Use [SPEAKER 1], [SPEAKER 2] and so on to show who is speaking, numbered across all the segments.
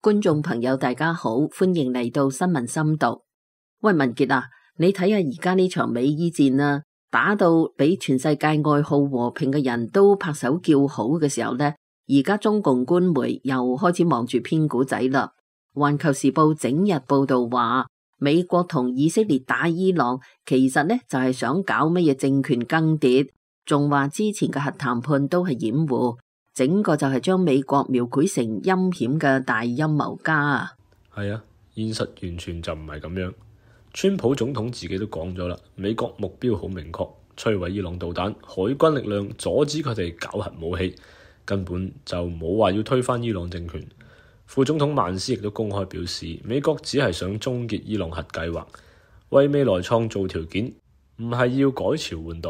[SPEAKER 1] 觀眾朋友大家好，歡迎嚟到新聞深讀。喂，文傑啊，你睇下而家呢場美伊戰啊，打到俾全世界愛好和平嘅人都拍手叫好嘅時候呢，而家中共官媒又開始忙住編故仔啦。環球時報整日報道話，美國同以色列打伊朗，其實呢就係想搞乜嘢政權更迭，仲話之前嘅核談判都係掩護，整個就係將美國描繪成陰險嘅大陰謀家啊！
[SPEAKER 2] 係啊，現實完全就唔係咁樣。川普總統自己都講咗啦，美國目標好明確，摧毀伊朗導彈，海軍力量阻止佢哋搞核武器，根本就冇話要推翻伊朗政權。副總統曼斯亦都公開表示，美國只係想終結伊朗核計劃，為未來創造條件，唔係要改朝換代。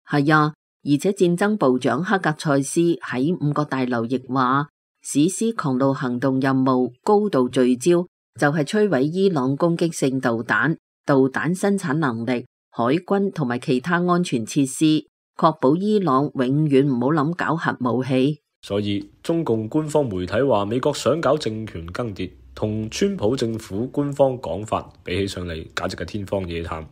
[SPEAKER 1] 係啊，而且戰爭部長克格塞斯喺五角大樓亦話，史詩狂怒行動任務高度聚焦，就係摧毀伊朗攻擊性導彈、導彈生產能力、海軍同埋其他安全設施，確保伊朗永遠唔好諗搞核武器。
[SPEAKER 2] 所以中共官方媒體話美國想搞政權更迭，同川普政府官方講法比起上嚟，簡直係天方夜譚，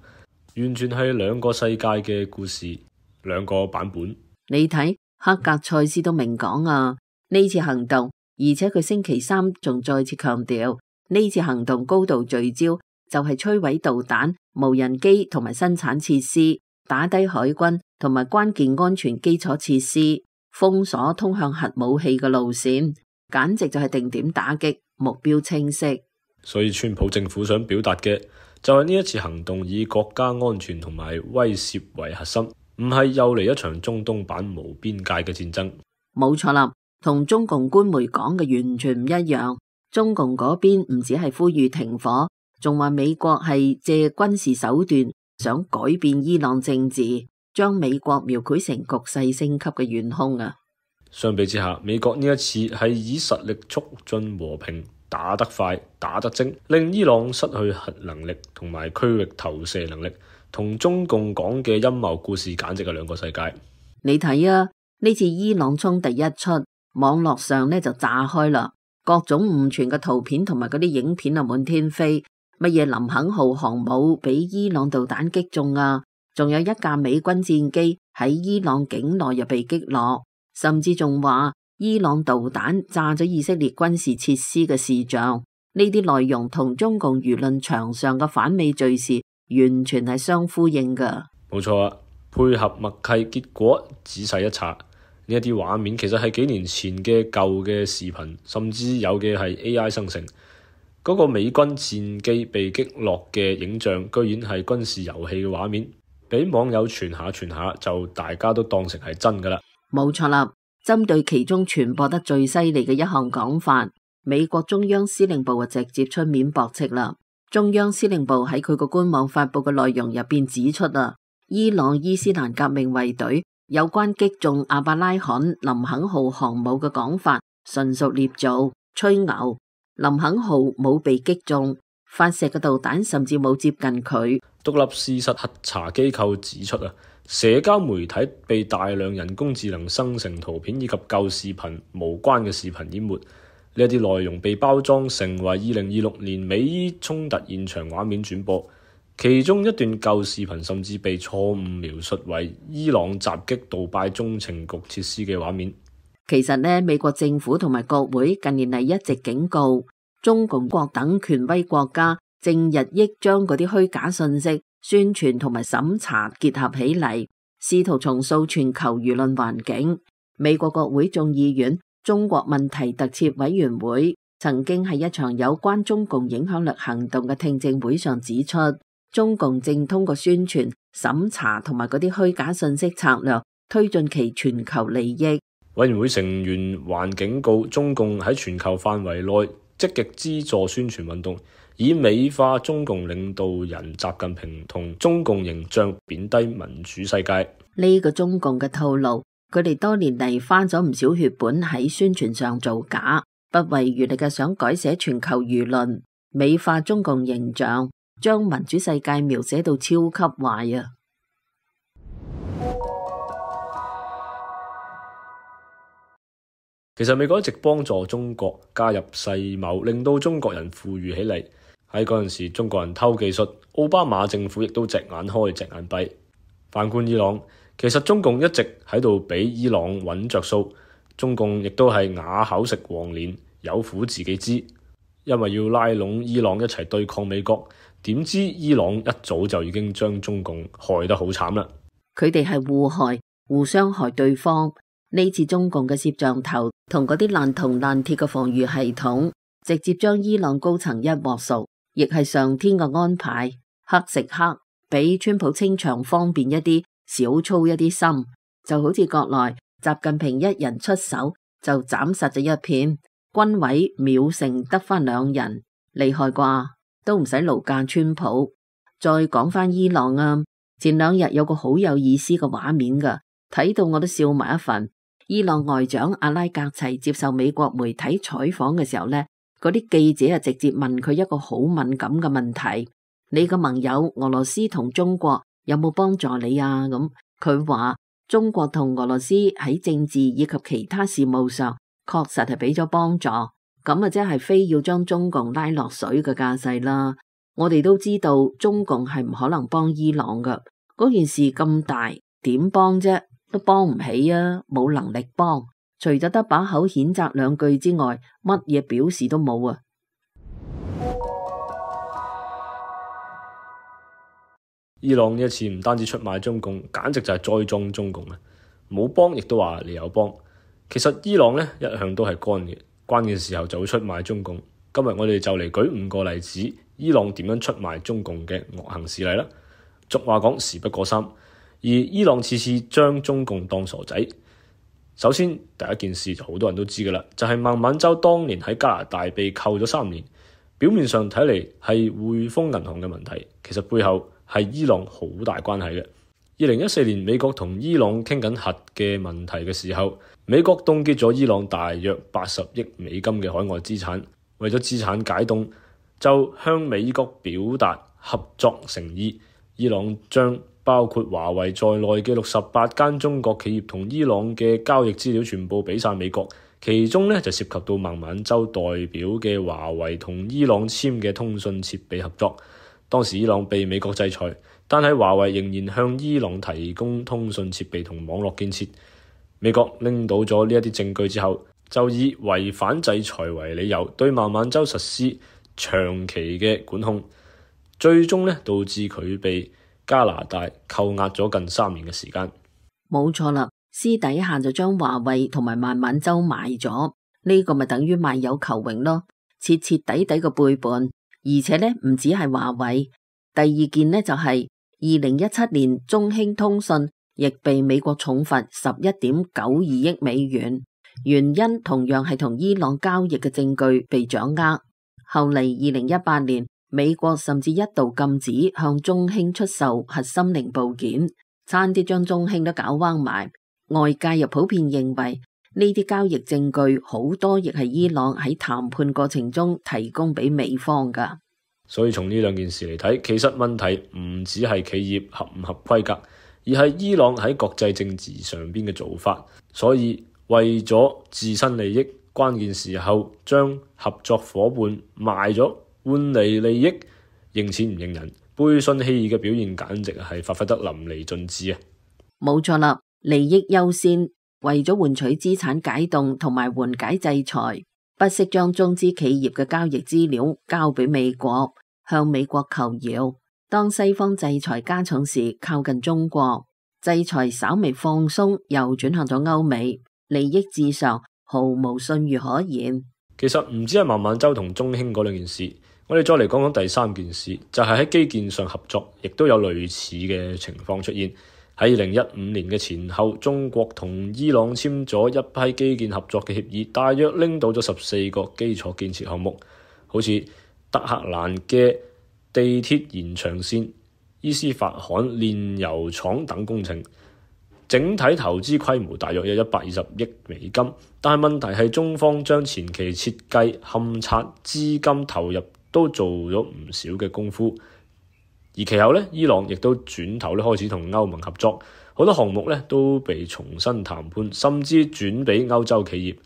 [SPEAKER 2] 完全係兩個世界嘅故事，兩個版本。
[SPEAKER 1] 你睇克格塞斯都明講啊，呢次行動，而且佢星期三仲再次強調，呢次行動高度聚焦，就係摧毀導彈、無人機同埋生產設施，打低海軍同埋關鍵安全基礎設施，封鎖通向核武器嘅路線，簡直就係定點打擊，目標清晰。
[SPEAKER 2] 所以川普政府想表達嘅就係呢一次行動以國家安全同埋威懾為核心，唔係又嚟一場中東版無邊界嘅戰爭。
[SPEAKER 1] 冇錯啦，同中共官媒講嘅完全唔一樣。中共嗰邊唔止係呼籲停火，仲話美國係借軍事手段想改變伊朗政治，將美國描繪成局勢升級嘅元兇啊！
[SPEAKER 2] 相比之下，美國呢一次係以實力促進和平，打得快，打得精，令伊朗失去核能力同埋區域投射能力，同中共講嘅陰謀故事簡直係兩個世界。
[SPEAKER 1] 你睇啊，呢次伊朗衝突一出，網絡上呢就炸開啦，各種誤傳嘅圖片同埋嗰啲影片啊滿天飛，乜嘢林肯號航母俾伊朗導彈擊中啊！仲有一架美軍戰機喺伊朗境內又被擊落，甚至仲話伊朗導彈炸咗以色列軍事設施嘅視像。呢啲內容同中共輿論場上嘅反美敘事完全係相呼應噶。
[SPEAKER 2] 冇錯啊，配合默契，結果仔細一查，呢一啲畫面其實係幾年前嘅舊嘅視頻，甚至有嘅係 AI 生成。嗰個美軍戰機被擊落嘅影像，居然係軍事遊戲嘅畫面。俾網友傳下，就大家都當成係真噶啦。
[SPEAKER 1] 冇錯啦，針對其中傳播得最犀利嘅一項講法，美國中央司令部就直接出面駁斥啦。中央司令部喺佢個官網發佈嘅內容入邊指出啊，伊朗伊斯蘭革命衛隊有關擊中阿伯拉罕林肯號航母嘅講法純屬捏造、吹牛。林肯號冇被擊中，發射嘅導彈甚至冇接近佢。
[SPEAKER 2] 獨立事實核查機構指出啊，社交媒體被大量人工智能生成圖片以及舊視頻無關嘅視頻淹沒，呢一啲內容被包裝成為2026年美伊衝突現場畫面轉播，其中一段舊視頻甚至被錯誤描述為伊朗襲擊杜拜中情局設施嘅畫面。
[SPEAKER 1] 其實呢，美國政府同埋國會近年嚟一直警告中共國等權威國家，正日益將嗰啲虛假信息宣傳同埋審查結合起嚟，試圖重塑全球輿論環境。美國國會眾議院中國問題特設委員會曾經喺一場有關中共影響力行動嘅聽證會上指出，中共正通過宣傳、審查同埋嗰啲虛假信息策略，推進其全球利益。
[SPEAKER 2] 委員會成員還警告中共喺全球範圍內積極資助宣傳運動，以美化中共領導人習近平同中共形象，貶低民主世界。
[SPEAKER 1] 呢個中共嘅套路，佢哋多年嚟花咗唔少血本喺宣傳上造假，不遺餘力嘅想改寫全球輿論，美化中共形象，將民主世界描寫到超級壞啊！
[SPEAKER 2] 其實美國一直幫助中國加入世貿，令到中國人富裕起嚟。喺嗰陣時，中國人偷技術，奧巴馬政府亦都隻眼開隻眼閉。反觀伊朗，其實中共一直喺度俾伊朗揾着數，中共亦都係啞口食黃連，有苦自己知。因為要拉攏伊朗一齊對抗美國，點知伊朗一早就已經將中共害得好慘啦。
[SPEAKER 1] 佢哋係互害，互相害對方。呢次中共嘅攝像頭同嗰啲爛銅爛鐵嘅防禦系統，直接將伊朗高層一鑊熟。亦係上天嘅安排，黑食黑，俾川普清場方便一啲，少操一啲心，就好似國內習近平一人出手就斬實咗一片，軍委秒成得返2人，厲害啩，都唔使勞駕川普。再講返伊朗啊，前2日有個好有意思嘅畫面噶，睇到我都笑埋一份。伊朗外長阿拉格齊接受美國媒體採訪嘅時候呢，嗰啲記者啊，直接問佢一個好敏感嘅問題：你個盟友俄羅斯同中國有冇幫助你啊？咁佢話中國同俄羅斯喺政治以及其他事務上確實係俾咗幫助，咁啊即係非要將中共拉落水嘅架勢啦。我哋都知道中共係唔可能幫伊朗噶，嗰件事咁大，點幫啫？都幫唔起啊，冇能力幫。除咗得把口譴責2句之外，乜嘢表示都冇啊！
[SPEAKER 2] 伊朗呢一次唔單止出賣中共，簡直就係栽贓中共啊！冇幫亦都話你有幫。其實伊朗呢一向都係乾嘅，關鍵時候就會出賣中共。今日我哋就嚟舉5個例子，伊朗點樣出賣中共嘅惡行事例啦。俗話講事不過3，而伊朗次次將中共當傻仔。首先第一件事就好多人都知㗎啦，就係孟晚舟當年喺加拿大被扣咗3年，表面上睇嚟係匯豐銀行嘅問題，其實背後係伊朗好大關係嘅。2014年美國同伊朗傾緊核嘅問題嘅時候，美國凍結咗伊朗大約80億美金嘅海外資產，為咗資產解凍，就向美國表達合作誠意。伊朗將包括華為在內嘅68間中國企業同伊朗嘅交易資料全部俾晒美國，其中呢就涉及到孟晚舟代表嘅華為同伊朗簽嘅通訊設備合作。當時伊朗被美國制裁，但係華為仍然向伊朗提供通訊設備同網絡建設。美國拎到咗呢一啲證據之後，就以違反制裁為理由，對孟晚舟實施長期嘅管控，最終呢導致佢被加拿大扣押咗近3年嘅時間。
[SPEAKER 1] 冇錯啦，私底下就將華為同埋孟晚舟賣咗，呢個咪等於賣友求榮咯，徹徹底底嘅背叛。而且呢唔止係華為，第2件呢就係2017年中興通訊亦被美國重罰11.92億美元，原因同樣係同伊朗交易嘅證據被掌握。後嚟2018年美國甚至一度禁止向中興出售核心零部件，差啲將中興都搞彎埋。外界又普遍認為呢啲交易證據好多亦係伊朗喺談判過程中提供俾美方噶。
[SPEAKER 2] 所以從呢2件事嚟睇，其實問題唔只係企業合唔合規格，而係伊朗喺國際政治上邊嘅做法。所以為咗自身利益，關鍵時候將合作夥伴賣咗，換嚟利益，認錢唔認人，背信棄義嘅表現簡直係發揮得淋漓盡致啊！
[SPEAKER 1] 冇錯啦，利益優先，為咗換取資產解凍同埋緩解制裁，不惜將中資企業嘅交易資料交俾美國，向美國求饒。當西方制裁加重時，靠近中國；制裁稍微放鬆，又轉向咗歐美，利益至上，毫無信譽可言。其
[SPEAKER 2] 實唔止係孟晚舟同中興嗰2件事，我哋再嚟講講第3件事，就係喺基建上合作，亦都有類似嘅情況出現。喺2015年嘅前後，中國同伊朗簽咗一批基建合作嘅協議，大約拎到咗14個基礎建設項目，好似德黑蘭嘅地鐵延長線、伊斯法罕煉油廠等工程。整體投資規模大約有120億美金，但係問題係中方將前期設計、勘察、資金投入都做咗唔少嘅功夫，而其後呢，伊朗亦都轉頭開始同歐盟合作，好多項目呢都被重新談判，甚至轉俾歐洲企業。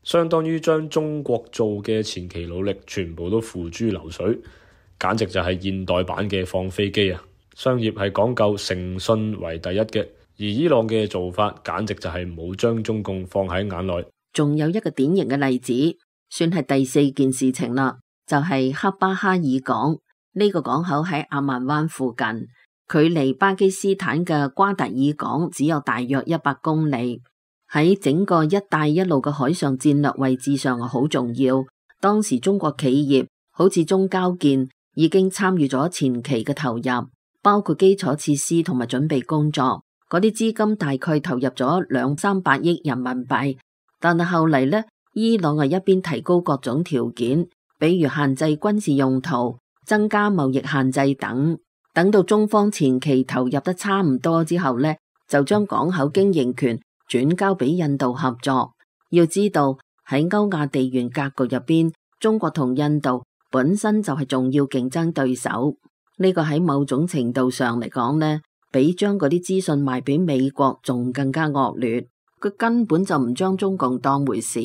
[SPEAKER 2] 相當於將中國做嘅前期努力全部都付諸流水，簡直就係現代版嘅放飛機啊！商業係講究誠信為第一嘅，而伊朗嘅做法簡直就係冇將中共放喺眼內。
[SPEAKER 1] 仲有一個典型嘅例子，算係第四件事情啦，就係克巴哈爾港。呢個港口喺阿曼灣附近，距離巴基斯坦嘅瓜達爾港只有大約100公里，喺整個一帶一路嘅海上戰略位置上好重要。當時中國企業好似中交建已經參與咗前期嘅投入，包括基礎設施同埋準備工作，嗰啲資金大概投入咗200-300億人民幣。但係後嚟呢，伊朗係一邊提高各種條件，比如限制軍事用途、增加貿易限制等。等到中方前期投入得差唔多之後呢，就將港口經營權轉交俾印度合作。要知道喺歐亞地緣格局入邊，中國同印度本身就係重要競爭對手。呢個喺某種程度上嚟講呢，比將嗰啲資訊賣俾美國仲更加惡劣。佢根本就唔將中共當回事，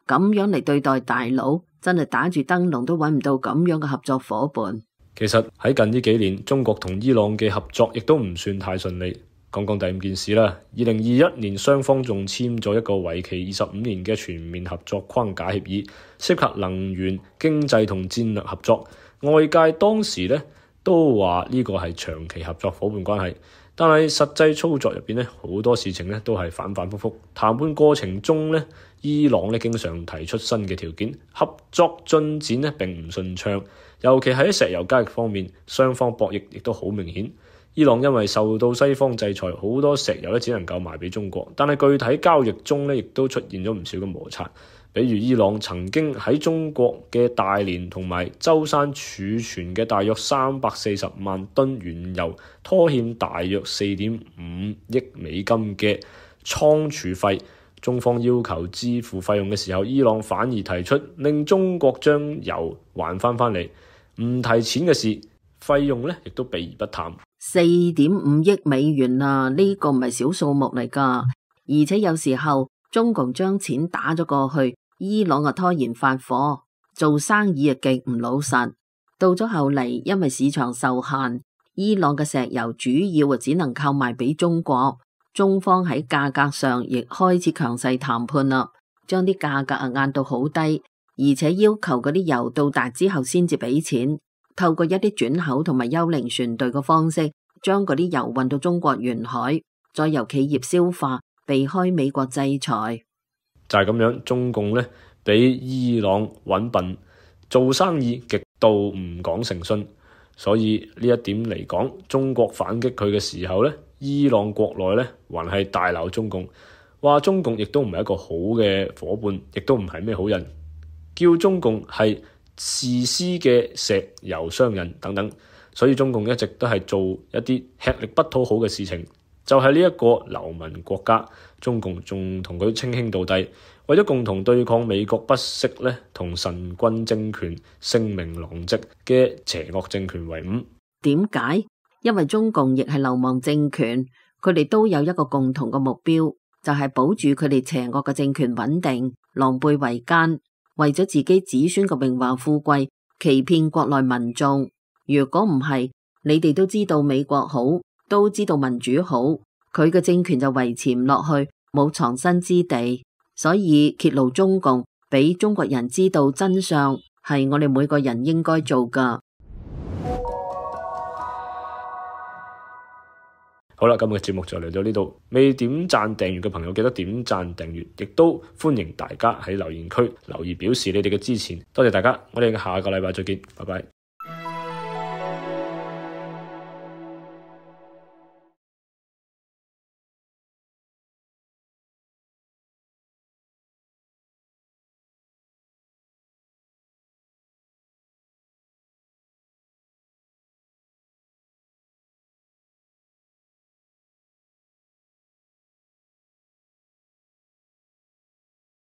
[SPEAKER 1] 咁樣嚟對待大佬，真係打住燈籠都揾唔到咁樣嘅合作伙伴。
[SPEAKER 2] 其實喺近呢幾年，中國同伊朗嘅合作亦都唔算太順利。講講第5件事啦。2021年雙方仲簽咗一個為期25年嘅全面合作框架協議，涉及能源、經濟同戰略合作。外界當時呢都話呢個係長期合作伙伴關係。但係實際操作入邊咧，好多事情咧都係反反复复。談判過程中咧，伊朗咧經常提出新嘅條件，合作進展咧並唔順暢。尤其喺石油交易方面，雙方博弈亦都好明顯。伊朗因為受到西方制裁，好多石油咧只能夠賣俾中國，但係具體交易中咧亦都出現咗唔少嘅摩擦。比如伊朗曾經喺中國嘅大連同埋舟山儲存嘅大約340萬噸原油拖欠大約4.5億美金嘅倉儲費，中方要求支付費用嘅時候，伊朗反而提出令中國將油還翻嚟，唔提錢嘅事，費用咧亦都避而不談。
[SPEAKER 1] 4.5億美元啊，呢個唔係小數目嚟噶，而且有時候中共將錢打咗過去，伊朗拖延發貨，做生意極唔老實。到咗後嚟，因為市場受限，伊朗嘅石油主要只能靠賣俾中國。中方喺價格上亦開始強勢談判啦，將啲價格壓到好低，而且要求嗰啲油到達之後先至俾錢。透過一啲轉口同埋幽靈船隊嘅方式，將嗰啲油運到中國沿海，再由企業消化，避開美國制裁。
[SPEAKER 2] 就係咁樣，中共咧比伊朗揾笨，做生意極度唔講誠信。所以呢一點嚟講，中國反擊佢嘅時候咧，伊朗國內咧還係大鬧中共，話中共亦都唔係一個好嘅夥伴，亦都唔係咩好人，叫中共係自私嘅石油商人等等。所以中共一直都係做一啲吃力不討好嘅事情。就係呢一個流民國家，中共仲同佢稱兄道弟，為咗共同對抗美國不惜咧同神棍政權聲名狼藉嘅邪惡政權為伍。
[SPEAKER 1] 點解？因為中共亦係流亡政權，佢哋都有一個共同嘅目標，就係保住佢哋邪惡嘅政權穩定，狼狽為奸，為咗自己子孫嘅榮華富貴，欺騙國內民眾。如果唔係，你哋都知道美國好，都知道民主好，佢嘅政權就維持唔落去，冇藏身之地。所以揭露中共，俾中國人知道真相，係我哋每個人應該做㗎。
[SPEAKER 2] 好啦，今日嘅節目就嚟到呢度。未點讚訂閱嘅朋友記得點讚訂閱，亦都歡迎大家喺留言區留言表示你哋嘅支持。多謝大家，我哋下個禮拜再見，拜拜。